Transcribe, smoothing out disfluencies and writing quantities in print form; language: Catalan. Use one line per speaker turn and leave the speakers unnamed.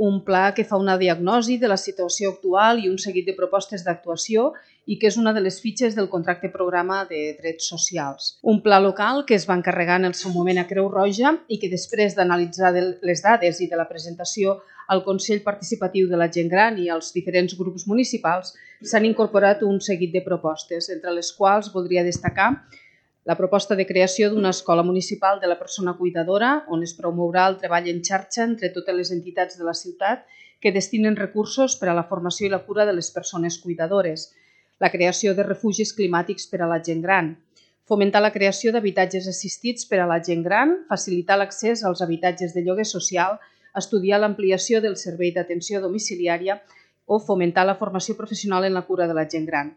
un pla que fa una diagnosi de la situació actual i un seguit de propostes d'actuació i que és una de les fitxes del contracte programa de drets socials. Un pla local que es va encarregar en el seu moment a Creu Roja i que després d'analitzar les dades i de la presentació al Consell Participatiu de la Gent Gran i als diferents grups municipals s'han incorporat un seguit de propostes, entre les quals voldria destacar la proposta de creació d'una escola municipal de la persona cuidadora on es promourà el treball en xarxa entre totes les entitats de la ciutat que destinen recursos per a la formació i la cura de les persones cuidadores, la creació de refugis climàtics per a la gent gran, fomentar la creació d'habitatges assistits per a la gent gran, facilitar l'accés als habitatges de lloguer social, estudiar l'ampliació del servei d'atenció domiciliària o fomentar la formació professional en la cura de la gent gran.